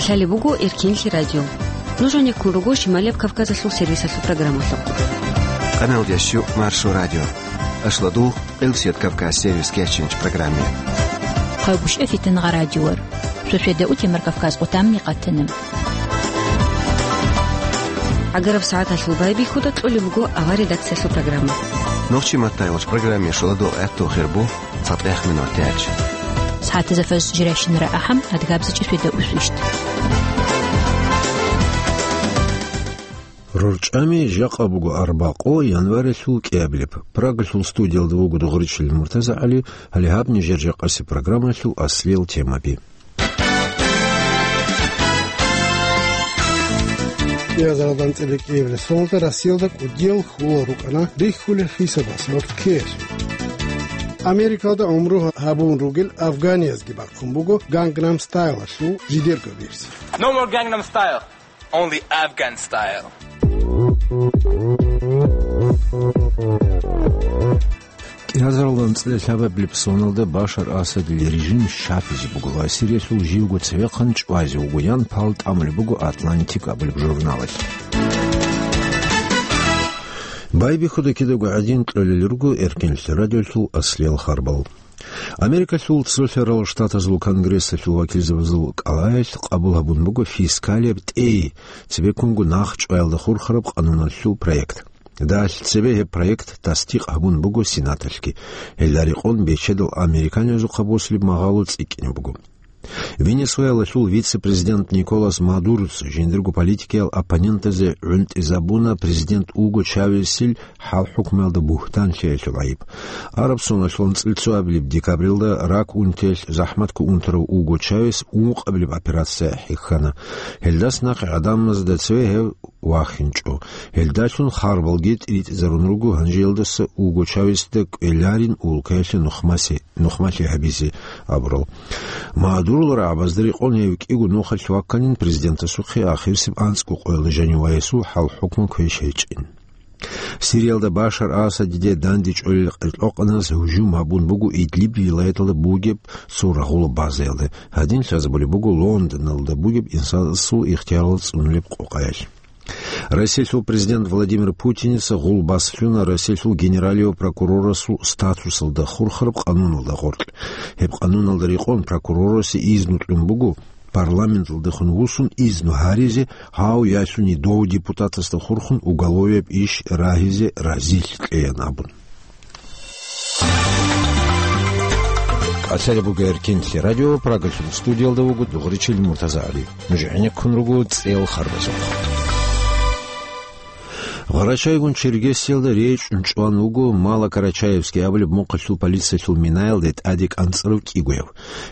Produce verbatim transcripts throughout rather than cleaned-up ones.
Лъалеб буго Эркинлъи радио. Нуж гьанеккун руго Шималияб Кавказалъул сервисалъул программалъухъ. Къаналдящу Маршо радио. Ашладул, Къилсият Кавказ сервис кечинч программе. Хъайгуща фитнагъа радиор. Суседа утемар Кавказ къутамни къатана. ГӀагараб сагӀаталъул байбихьуда кьолеб буго авар редакциялъул программа. Нохчи маттайвач программе шоладо гӀатту хирбу. ЦатӀехъ минут тяч. СагӀатазда фаз жирайщинара ахӀам, адгабзичӀи светда усвищт. РорчӀами жакъа буго арбакъо январилъул кӀиабилеб. Прагалъул студиялда вуго Дугъричил МуртазагӀали, гьале гьаб нижер жакъаси программалъул аслиял темаби. КӀиазаралда анцӀила кӀиабилеб соналда Россиялда кӀудиял хьулал рукӀана рихьулел хисабасиялъ ккеялъул. Америкалда гӀумру гьабун ругел афганиязги бахъун буго Гангнам Стайлалъул жидерго версия. No more Gangnam Style, only Afghan Style. КӀиазаралда анцӀила лъабабилеб соналда Башар Асадил режим щапизе буго ва Сириялъул живго цевехъан чӀвазе вуго ян пал тӀамулеб буго Атлантик абулеб журналалъ. Байбихьуда кидаго гӀадин кьолел руго Эркинлъи радиолъул аслиял харбал. Америкалъул Цолъарал Штатазул Конгрессалъул вакилзабазул кӀалаялъ къабул гьабун буго фискалияб тӀей цебеккунго нахчӀваялда хурхараб къануналъул проект. Далъ цебе гьеб проект тасдикъ гьабун буго Сенаталъги. Гьелда рекъон бечедал американизухъа босулеб магъало цӀикӀкӀине буго. Венесуэлалъул вице-президент Николас Мадуроца жиндирго политикиял оппонентазе гӀунтӀизабуна президент Уго Чавесил хӀал-хӀукмуялда бугьтан лъеялъул гӀайиб. Араб соналъул анцӀила цоабилеб декабрилда рак унтиялъ захӀматго унтарав Уго Чавес ункъабилеб операция хӀехьана. Гьелдас нахъе гӀадамазда цеве гьев вахинчӀо. Гьелдалъун харбалги тӀиритӀизарун руго гьанжеялдаса Уго Чавесда кӀвеларин улкаялъе нухмасе-, нухмалъи гьабизе абурал. Мадурол рагӀабазда рекъон гьев кӀиго нухалъ вакканин президентасухъе ахирсеб анцӀго къоялда жаниваесул хӀал-хӀукму квеш гьечӀин. Сириялда Башар Асадиде дандечӀолел къеркьокъанас гьужум гьабун буго Идлиб вилаяталда бугеб цо рагъула базаялда. Гьадин лъазабулеб буго Лондоналда бугеб инсанасул ихтиярал цӀунулеб къокъаялъ. Россиялъул президент Владимир Путиница гъул баслъуна Россиялъул генералияв прокурорасул статусалда хурхараб къануналда гъоркь. Гьеб къануналда рекъон прокурорасе изну кьун буго парламенталдехун вуссун изну гьаризе, гьав ялъуни дов депутатасда хурхун уголовияб иш рагьизе разилъ кьеян абун. КӀалъалеб буго Эркинлъи радио, Прагалъул студиялда вуго Дугъричил МуртазагӀали. Нуж гӀенеккун руго цӀел харбазухъ. Гъарачайгун Чергесиялда речӀчӀун чӀван вуго Малокарачаевский абулеб мухъалъул полициялъул минаялде тӀаде кӀанцӀарав кӀигояв.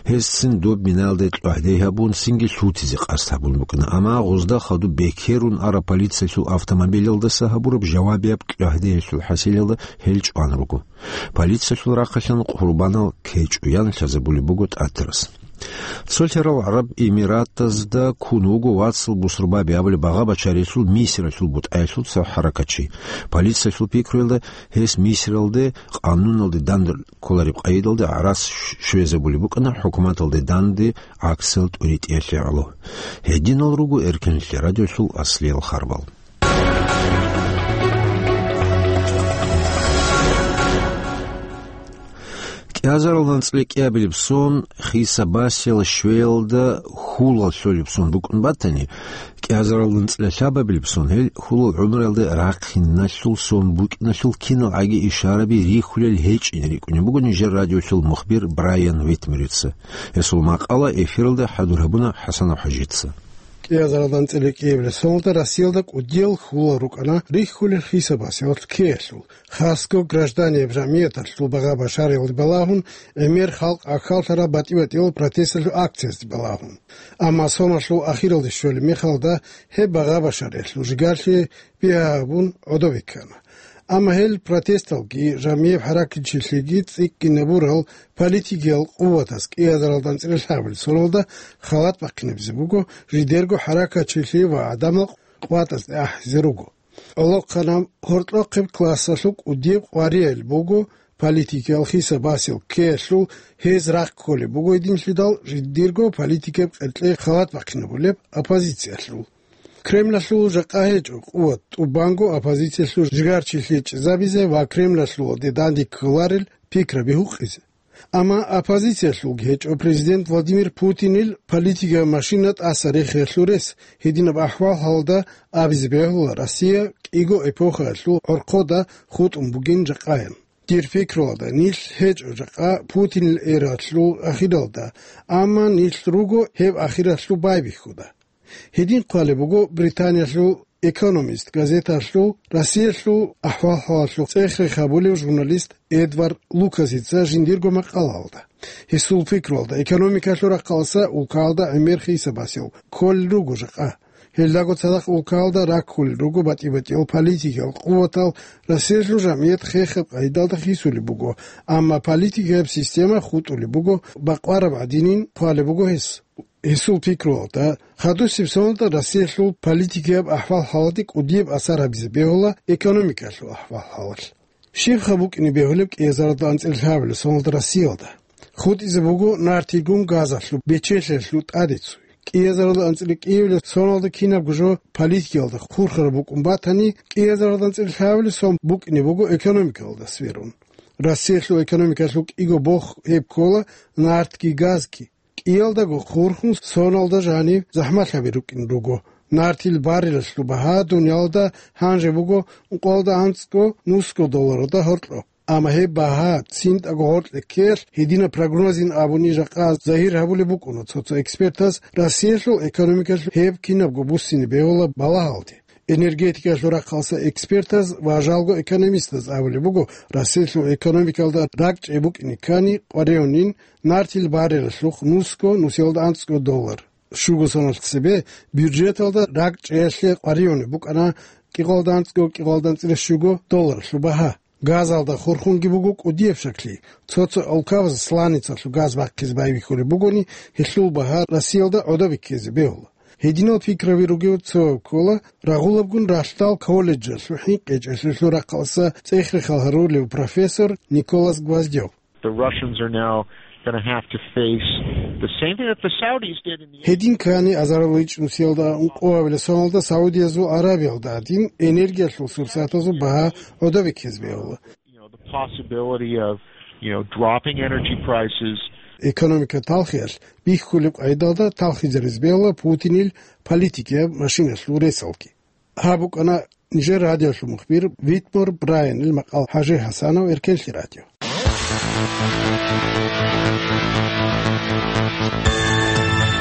Гьесцин доб минаялде кьвагьде гьабун, цинги лъутизе къасд гьабун букӀана, амма гъозда хадуб бекерун араб полициялъул автомобилялдаса гьабураб жавабияб кьвагьдеялъул хӀасилалда гьел чӀван руго. Полициялъул рахъалъан къурбанал кечӀо ян лъазабулеб буго ТӀатарас. Цолъарал ГӀараб Эмиратазда ккун вуго вацал Бусурбаби абулеб багъа бачарелъул Мисралъул бутӀаялъул цо хӀаракатчи. Полициялъул пикруялда гьес Мисралде къануналде данде кколареб къайдалда гӀарац щвезабулеб букӀана хӀукуматалде данде гӀаксал тӀуритӀиялъе гӀоло. Гьединал руго Эркинлъи радиолъул аслиял харбал. КӀиазарал анцӀила кӀиабилеб сон хисабасел щвеялда хьулал лъолеб сон букӀун батани, кӀиазарал анцӀила лъабабилеб сон гьел хьулал гӀумруялда рахъиналъул сон букӀиналъул киналгӀаги ишараби рихьулел гьечӀин рикӀкӀунеб буго нижер радиолъул мухбир Брайан Витмерица. Гьесул макъала эфиралда хӀадур гьабуна ХӀасанов ХӀажица. КӀиазарал анцӀила кӀиабилеб соналда Россиялда кӀудиял хьулал рукӀана рихьулел хисабасиялъ ккеялъул, хасго гражданияб жамгӀияталъул багъа башариялде балагьун, гӀемер халкъ ахьаллъараб батӀи-батӀиял протесталъул акциязде балагьун. Амма соналъул ахиралде щолеб мехалда гьеб багъа башариялъул жигарлъи бигьа гьабун гӀодобе ккана. Амма гьел протесталги, жамгӀияб хӀаракатчилъиги цӀикӀкӀинабурал политикиял къуватас кӀиазарал анцӀила лъабабилеб соналда халат бахъинабизе буго, жидерго хӀаракатчилъи ва гӀадамал къватӀазде ахӀизе руго. ГӀолохъанаб гьоркьохъеб классалъул кӀудияб къвариял буго политикиял хиса-басил ккеялъул гьез рахъ кколеб буго гьединлъидал жиндирго политикияб къеркьей халат бахъинабулеб оппозициялъул. Кремлалъул жакъа гьечӀо къуват тӀубанго оппозициялъул жигарчилъи чӀезабизе ва Кремлалъулде данде кколарел пикраби гьукъизе. Амма оппозициялъулги гьечӀо президент Владимир Путинил политикияб машина тӀаса рехиялъул рес, гьединаб ахӀвал-хӀалда абизе бегьула Россия кӀиго эпохаялъул гӀорхъода хутӀун бугин жакъаян. Дир пикруялда, нилъ гьечӀо жакъа Путинил эралъул ахиралда, амма нилъ руго гьеб ахиралъул байбихьуда. Гьедин хъвалеб буго Британиялъул «Экономист» газеталъул Россиялъул ахӀвал-хӀалалъул цӀех-рех гьабулев журналист Эдвард Лукасица жиндирго макъалаялда. Гьесул пикруялда, экономикалъул рахъалъа улкаялда гӀемер хиса-басил кколел руго жакъа. Гьелдаго цадахъ улкаялда раккулел руго батӀи-батӀиял политикиял къуватал, Россиялъул жамгӀият хехаб къайдалда хисулеб буго, амма политикияб система хутӀулеб буго бакъвараб гӀадинин хъвалеб буго гьес. Гьесул пикруялда, хадусеб соналда Россиялъул политикияб ахӀвал-хӀалалде кӀудияб асар гьабизе бегьула экономикалъул ахӀвал-хӀалалъ. Щибха букӀине бегьулеб кӀиазаралда анцӀила лъабабилеб соналда Россиялда? ХутӀизе буго нартилгун газалъул бечелъиялъул тӀаде цой. КӀиазаралда анцӀила кӀиабилеб соналда кинабго жо политикиялда хурхараб букӀун батани, кӀиазаралда анцӀила лъабабилеб сон букӀине буго экономикалда сверун. Россиялъул экономикалъул кӀиго бох гьеб ккола нартги газги. КӀиялдаго хурхун соналда жанив захӀмалъаби рукӀин руго. Нартил баррелалъул багьа дуниялда гьанже буго ункъоялда анцӀго нусго долларалда гьоркьоб. Амма гьеб багьа цинтӀаго гьоркье ккеялъ гьединаб прогнозин абуни жакъа загьир гьабулеб букӀуна цо-цо экспертаз Россиялъул экономикалъул гьеб кинабго буссине бегьула балагьалде. Энергетикалъул рахъалъа экспертаз ва жалго экономистаз абулеб буго, Россиялъул экономикалда ракӀчӀей букӀине ккани къваригӀунин нартил баррелалъухъ нусго, нусиялда анцӀго доллар. Щуго соналъ цебе бюджеталда ракӀчӀеялъе къваригӀунеб букӀана кӀикъоялда анцӀго, кӀикъоялда анцӀила щуго долларалъул багьа. Газалда хурхунги буго кӀудияб щаклъи. Цо-цо улкабаз сланицалъул газ бахъизе байбихьулеб бугони, гьелъул багьа Россиялда гӀодобе ккезе бегьула. Гьединал пикраби ругев цо ккола рагъулабгун ралъдал колледжалъул хӀинкъичӀелъулъул рахъалъа цӀех-рехал гьарулев профессор Николас Гвоздев. The Russians are now gonna have to face the same thing that the Saudis did in the Гьедин ккани азариличӀ нусиялда ункъоялда соналда Саудиязул Аравиялда гӀадин энергиялъул сурсатазул багьа гӀодобе ккезе бегьула. You know, the possibility of, you know, dropping energy prices. Экономика талхиялъ бихьулеб къайдалда талхизаризе бегьула Путинил политикияб машиналъул ресалги. Гьаб букӀана нижер радиолъул мухбир Витмор Брайанил макъал. ХӀажи ХӀасанов, Эркенлъи радио.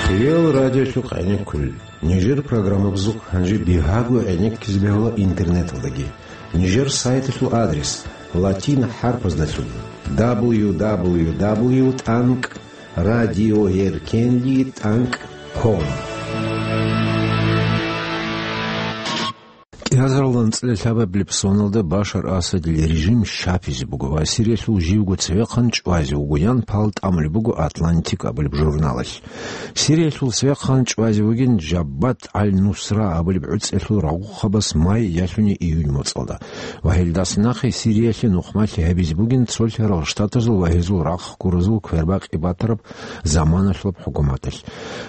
Хириял радиолъухъ гӀенеккулел. Нижер программабазухъ гьанже бигьаго гӀенеккизе бегьула интернеталдаги. Нижер сайталъул адрес латин хӀарпаздалъун: дабл ю дабл ю дабл ю тӀанкӀ радиоэркенлъи тӀанкӀ ком. КӀиазаралда анцӀила лъабабилеб соналда Башар Асадил режим щапизе буго ва Сириялъул живго цевехъан чӀвазе вугоян пал тӀамулеб буго «Атлантик» абулеб журналалъ. Сириялъул цевехъан чӀвазе вугин Жаббат аль-Нусра абулеб гӀуцӀиялъул рагъухъабаз май ялъуни июнь моцӀалда. Ва гьелдаса нахъе Сириялъе нухмалъи гьабизе бугин цолъарал штатазул ва гьезул рахъ гуразул квербакъи батараб заманалъулаб хӀукуматалъ.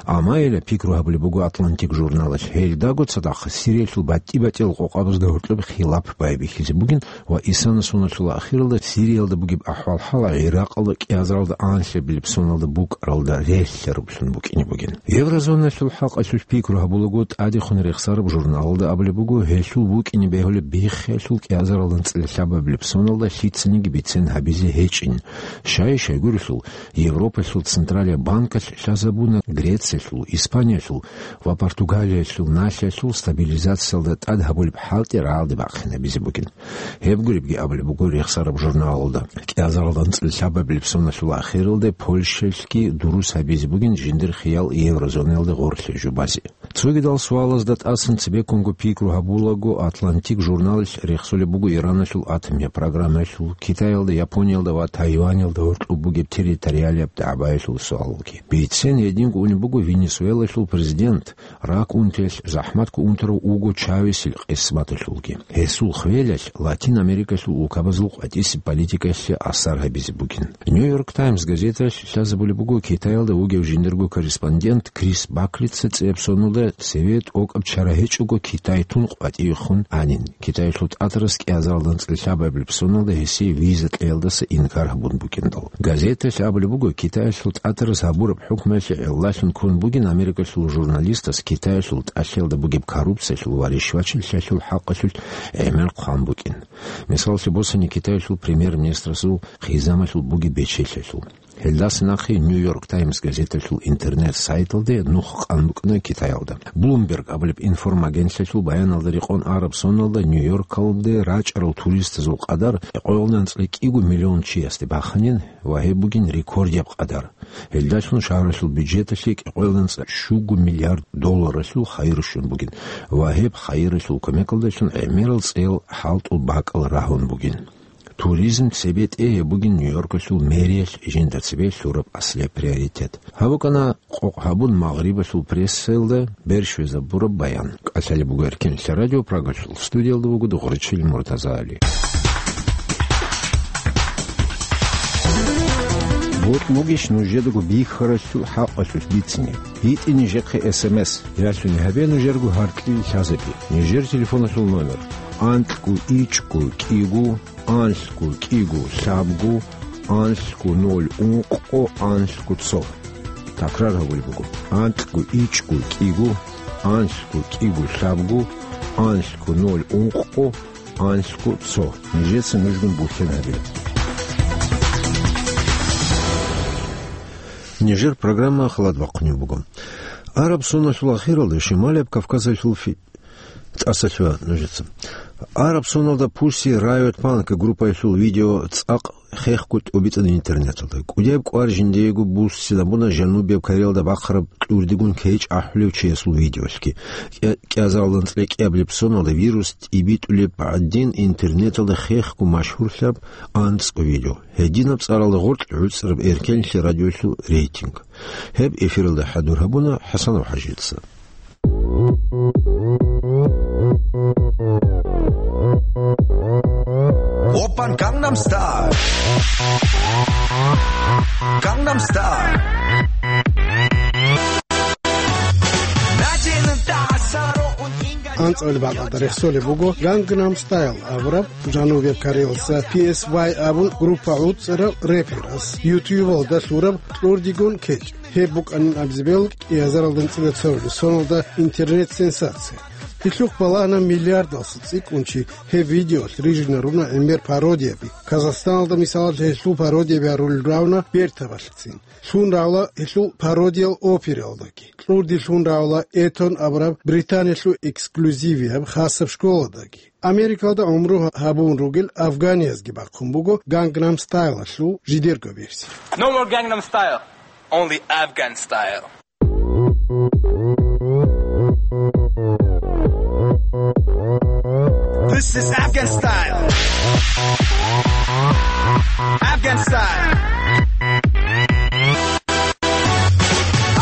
Амма гьеле пикру гьабулеб буго «Атлантик» журналалъ, гьелдаго цадахъ Сириялъул батӀи-батӀиял къокъабазда гьоркьоб хилап байбихьизе бугин ва исана соналъул ахиралда Сириялда бугеб ахӀвал-хӀал ГӀиракъалда кӀиазаралда анлъабилеб соналда букӀаралда релълъарублъун букӀине бугин. Еврозоналъул хӀакъалъулъ пикру гьабулаго тӀадехун рехсараб журналалда абулеб буго, гьелъул букӀине бегьулеб биххиялъул кӀиазаралда анцӀила лъабабилеб соналда лъицаниги бицен гьабизе гьечӀин. Щай-щайгурелъул, Европалъул Централияб банкалъ лъазабуна Грециялъул, Испаниялъул ва Португалиялъул налъиялъул стабилизациялда тӀад гьабулеб хӀалтӀи рагӀалде бахъинабизе бугин. Гьеб гуребги абулеб буго рехсараб журналалда. КӀиазаралда анцӀила лъабабилеб соналъул ахиралде Польшаялъги дурус гьабизе бугин жиндир хиял еврозонаялде гъорлъе жубазе. Цогидал суалазда тӀасан цебеккунго пикру гьабулаго, «Атлантик» журналалъ рехсолеб буго Ираналъул атомия программаялъул, Китаялда, Япониялда ва Тайванилда гьоркьоб бугеб территориалияб дагӀбаялъул суалалги. Бицен гьединго унеб буго Венесуэлалъул президент, рак унтиялъ захӀматго унтарав Уго Чавесил къисматалъулги. Гьесул хвелалъ Латин Америкалъул улкабазул къватӀисеб политикаялъе асар гьабизе бугин. «Нью-Йорк Таймс» газеталъ лъазабулеб буго Китаялда вугев жиндирго корреспондент Крис Баклица цӀияб соналда цеве тӀокӀаб чара гьечӀого Китай тун къватӀивехун анин, Китаялъул тӀатарас кӀиазаралда анцӀила лъабабилеб соналда гьесие виза кьеялдаса инкар гьабун букӀиндал. Газеталъ абулеб буго, Китаялъул тӀатарас гьабураб хӀукмуялъе гӀиллалъун ккун бугин Америкалъул журналистас Китаялъул тӀалъиялда бугеб коррупциялъул ва ришвачилъиялъул хӀакъалъулъ гӀемер хъван букӀин. Мисаллъи босани, Китаялъул премьер-министрасул хъизамалъул бугеб бечелъиялъул. Гьелдаса нахъе «Нью-Йорк Таймс» газеталъул интернет-сайталде нух къан букӀана Китаялда. Bloomberg абулеб информагентлъиялъул баяналда рекъон араб соналда Нью-Йоркалде рачӀарал туристазул къадар кӀикъоялда анцӀила кӀиго миллион чиясде баханин ва гьеб бугин рекордияб къадар. Гьелдалъун шагьаралъул бюджеталъе кӀикъоялда анцӀила щуго миллиард долларалъул хайир щун бугин ва гьеб хайиралъул кумекалдалъун гӀемерал цӀел хӀалтӀул бакӀал рагьун бугин. Туризм цебетӀе гьеб бугин Нью-Йоркалъул мэриялъ жинда цебе лъураб аслияб приоритет. Гьаб букӀана къокъ гьабун Магърибалъул прессаялда, бер щвезабураб баян. КӀалъалеб буго Эркенлъа радио Прагалъул, студиялда вуго Дугъричил Муртазали. Бокь бугищ нужедаго бихьаралъул хӀакъалъулъ бицине? ГьитӀе нижехъе эс эм эс, ялъуни гьабе нужерго гьаркьил лъазаби. Нижер телефоналъул номер: анкьго ичӀго кӀиго, анлъго кӀиго лъабго, анлъго ноль ункъго, анлъго цо. Такрар гьабулеб буго: анкьго ичӀго кӀиго, анлъго кӀиго лъабго, анлъго ноль ункъго, анлъго цо. Нижеца нужгун бухьен гьабила. Нижер программа халат бахъунеб буго. Араб соналъул ахиралда Шималияб Кавказалъул фи-, ТӀаса лъугьа нужеца. Араб соналда Pussy Riot Punk группаялъул видео цӀакъ хехго тӀубитӀана интернеталда. КӀудияб кӀвар жиндиего буссинабуна Жанубияб Кореялда бахъараб кьурдигун кечӀ ахӀулев чиясул видеоялъги. КӀи-, кӀиазаралда анцӀила кӀиабилеб соналда вирус тӀибитӀулеб гӀадин интернеталда хехго машгьурлъараб анцӀго видео. Гьединаб цӀаралда гъоркь гӀуцӀараб Эркенлъи радиоялъул рейтинг. Гьеб эфиралда хӀадур гьабуна ХӀасанов ХӀажица. Оппан, Gangnam Style. Gangnam Style. АнцӀила бакӀалда рехсолеб буго Gangnam Style абураб, Жанубияб Кореялъа P S Y абун группа гӀуцӀарав рэперас ютубалда лъураб кьурдигун кечӀ. Гьеб букӀанин абизе бегьулеб кӀиазаралда анцӀила цоабилеб соналда интернет-сенсация. Гьелъухъ балагьана миллиардалъа цӀикӀкӀун чи гьеб видеоялъ рижинаруна гӀемер пародияби. Казахстаналда, мисалалъ, гьелъул пародияби гьарулел равна бертабалъецин. Лъун равла гьелъул пародиял операялдаги. Кьурди лъун равла Этон абураб Британиялъул эксклюзивияб хасаб школадаги. Америкалда гӀумру гьабун ругел афганиязги бахъун буго Gangnam Style-алъул жидерго версия. No more Gangnam Style, only Afghan Style. This is Afghan Style. Afghan Style.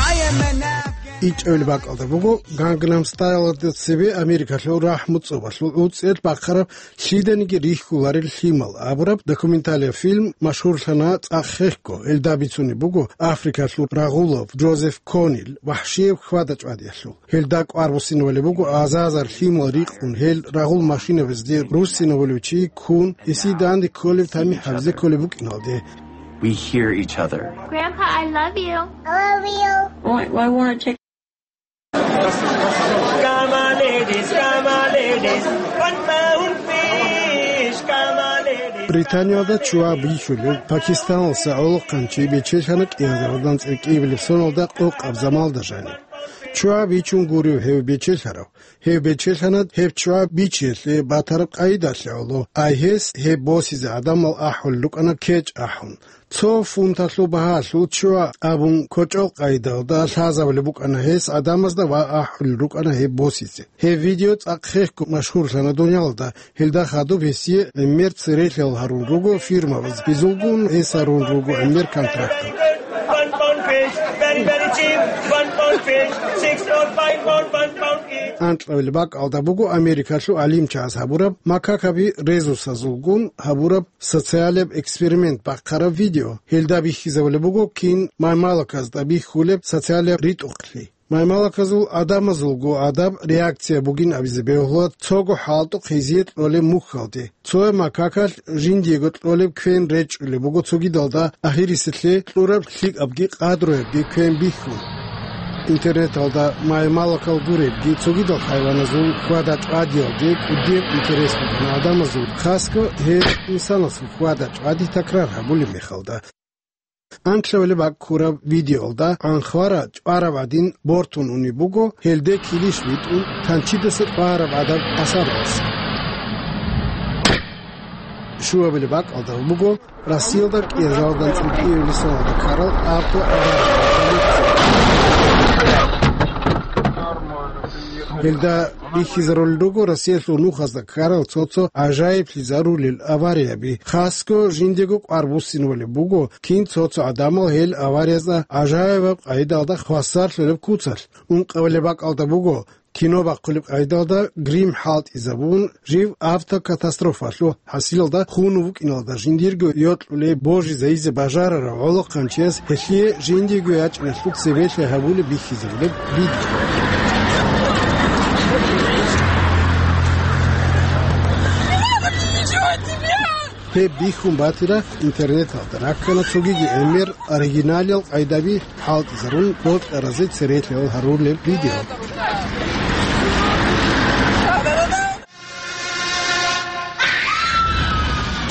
I am an Afghan. ИчӀабилеб бакӀалда буго Gangnam Style-алда цебе Америкалъул рахӀму цӀобалъул гӀуцӀиялъ бахъараб «Лъиданиги рихьуларел лъимал» абураб документалияб фильм машгьурлъана цӀакъ хехго. Гьелда бицунеб буго Африкалъул рагъулав Джозеф Конил вахӀшияб хьвада-чӀвадиялъул. Гьелда кӀвар буссинабулеб буго азар-азар лъимал рикъун, гьел рагъул машинабазде руссинабулев чи ккун, гьесие данде кколеб тамихӀ гьабизе кколеб букӀиналде. We hear each other. Grandpa, I love you. I love you. Why, why won't I take Come on, ladies, come on, ladies. One pound fish, come on, ladies. Британиялда чуа бихьулев пакистаналъа гӀолохъанчи бечелъана кӀиазаралда анцӀила кӀиабилеб соналда къокъаб замалда жаниб. ЧӀвай бичун гурев гьев бечелъарав? Гьев бечелъана гьеб чӀвай бичиялъе батараб къайдалъе гӀоло, ай гьес гьеб босизе гӀадамал ахӀулел рукӀана кечӀ ахӀун. Цо фунталъул багьалъул чӀва абун кочӀол къайдалда лъазабулеб букӀана гьес гӀадамазда ва ахӀулел рукӀана гьеб босизе. Гьеб видео цӀакъ хехго машгьурлъана дуниялалда. Гьелда хадуб гьесие гӀемер церелъал гьарун руго фирмабаз, гьезулгун гьес гьарун руго гӀемер контрактал. One pound fish, very, very cheap. One pound fish, six or five pound, one pound each. Анкьабилеб бакӀалда буго Америкалъул гӀалимчияз гьабураб, макакаби резусазулгун гьабураб социалияб эксперимент бахъараб видео. Гьелда бихьизабулеб буго кин маймалаказда бихьулеб социалияб ритӀухълъи. Маймалаказул гӀадамазулго гӀадаб реакция бугин абизе бегьула цого хӀалтӀухъ гьезие кьолеб мухьалде. Цояб макакалъ жиндиего кьолеб квен речӀчӀулеб буго цогидалда, ахирисеблъи кьураб лъикӀабги къадруябги квен бихьун. Интернеталда маймалакал гуребги цогидал хайваназул хьвада-чӀвадиялде кӀудияб интерес букӀана гӀадамазул, хасго гьез инсанасул хьвада-чӀвади такрар гьабулеб мехалда. Анкьабилеб бакӀ ккураб видеоялда анхвара чӀвараб гӀадин бортун унеб буго, гьелде килищ витӀун, танчидаса чӀвараб гӀадаб асаралъ. Щуабилеб бакӀалда буго Россиялда кӀиазаралда анцӀила кӀиабилеб соналда ккарал авто авария. Гьелда бихьизарулел руго Россиялъул нухазда ккарал цо-цо гӀажаиблъизарулел аварияби. Хасго жиндего кӀвар буссинабулеб буго, кин цо-цо гӀадамал гьел авариязда гӀажаибаб къайдалда хвасарлъулеб куцалъ. Ункъабилеб бакӀалда буго, кино бахъулеб къайдалда грим хӀалтӀизабун, жив автокатастрофалъул хӀасилалда хунув вукӀиналда жиндирго йокьулей божизайизе бажарарав гӀолохъанчияс гьелъие жиндиего ячӀиналъул цебелъи гьабулеб бихьизабулеб видео. Гьеб бихьун батира интернеталда раккана цогиги гӀемер оригиналиял къайдаби хӀалтӀизарун бокьаразе церелъал гьарулеб видео.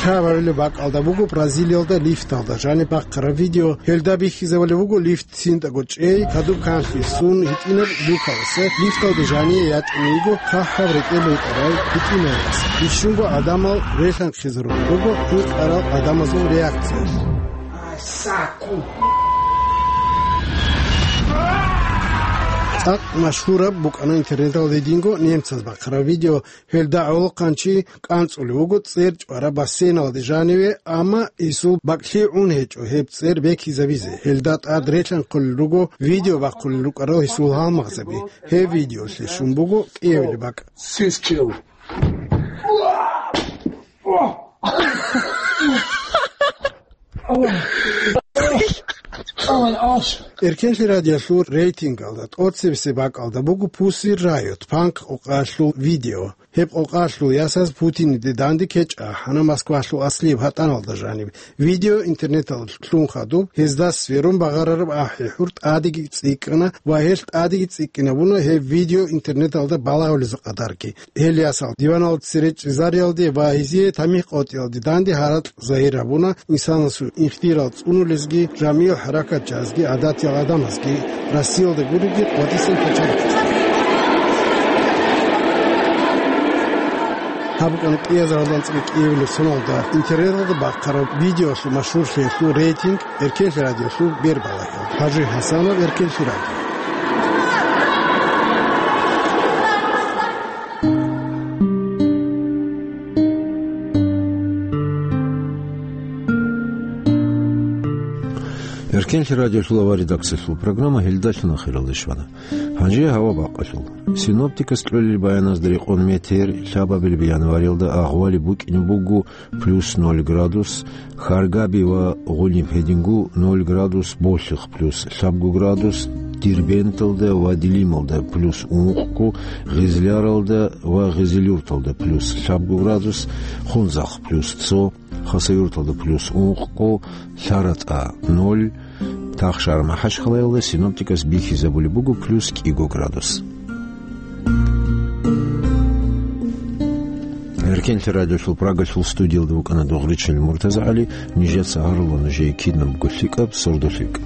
Каварилеб бакӀалда буго Бразилиялда лифталда жаниб бахъараб видео. Гьелда бихьизабулеб буго лифт цинтӀаго чӀей, гьадуб канлъи ссун, гьитӀинаб люкаласа лифталде жание ячӀуней йиго хъахӀаб рекӀелъ рукӀарай гьитӀинабас. Бищунго гӀадамал релъанхъизарулел руго гьикъарал гӀадамазул реакциялъ. ЦӀакъ машгьураб букӀана интернеталда гьединго немцаз бахъараб видео. Гьелда гӀолохъанчи кӀанцӀулев вуго цӀер чӀвараб бассейналде жаниве, амма гьесул бакӀлъи гӀун гьечӀо гьеб цӀер бекизабизе. Гьелда тӀад релъанхъулел руго видео бахъулел рукӀарал гьесул гьалмагъзаби. Гьеб видеолъе щун буго кӀиабилеб бакӀ. Сискил. Эркенлъи радиолъул рейтингалда тӀоцебесеб бакӀалда буго Pussy Riot, панк къокъалъул видео. Гьеб къокъалъул ясаз Путиниде данде кечӀ ахӀана Москвалъул аслияб гьатӀаналда жаниб. Видео интернеталда лъун хадуб, гьезда сверун багъарараб ахӀи-хӀур тӀадеги цӀикӀкӀана ва гьелъ тӀадеги цӀикӀкӀинабуна гьеб видео интернеталда балагьулезул къадарги. Гьел ясал диваналда цере чӀезариялде ва гьезие тамихӀ къотӀиялде данде гьаракь загьир гьабуна, инсанасул ихтирал цӀунулезги, жамигӀ хӀаракатчиязги, гӀадатиял гӀадамазги, Россиялда гуребги къватӀисан кочарихъизги. Гьаб букӀана кӀиазаралда анцӀила кӀиабилеб соналда интернеталда бахъараб видеолъул машгьурлъиялъул рейтинг Эркенлъи радиолъул бербалагьал. ХӀажи ХӀасанов, Эркенлъи радио. Эркенлъи радиолъул авария редакциялъул программа гьелдалъун ахиралде щвана. Гьанже гьава бакъалъул. Синоптикас кьолел баяназда рекъон метеор лъабабилеб январалда агъвали букӀине буго плюс ноль градус, Харгаби ва Гъуниб гьедингу ноль градус, Болъихъ плюс лъабгу градус, Дербенталда ва Дилималда плюс ункъго, Гъизляралда ва Гъизилюрталда плюс лъабгу градус, Хунзахъ плюс цо, Хасавюрталда плюс ункъго, ЛъаратӀа ноль, Тахшар-МахӀачхъалаялда синоптикас бихьизабулеб буго плюс кӀиго градус. Эркенлъи радиолъул Прагалъул студиялда вукӀана Дугъричил МуртазагӀали, нижеца гьарула нужее кинабго лъикӀаб сордо-лъикӀ.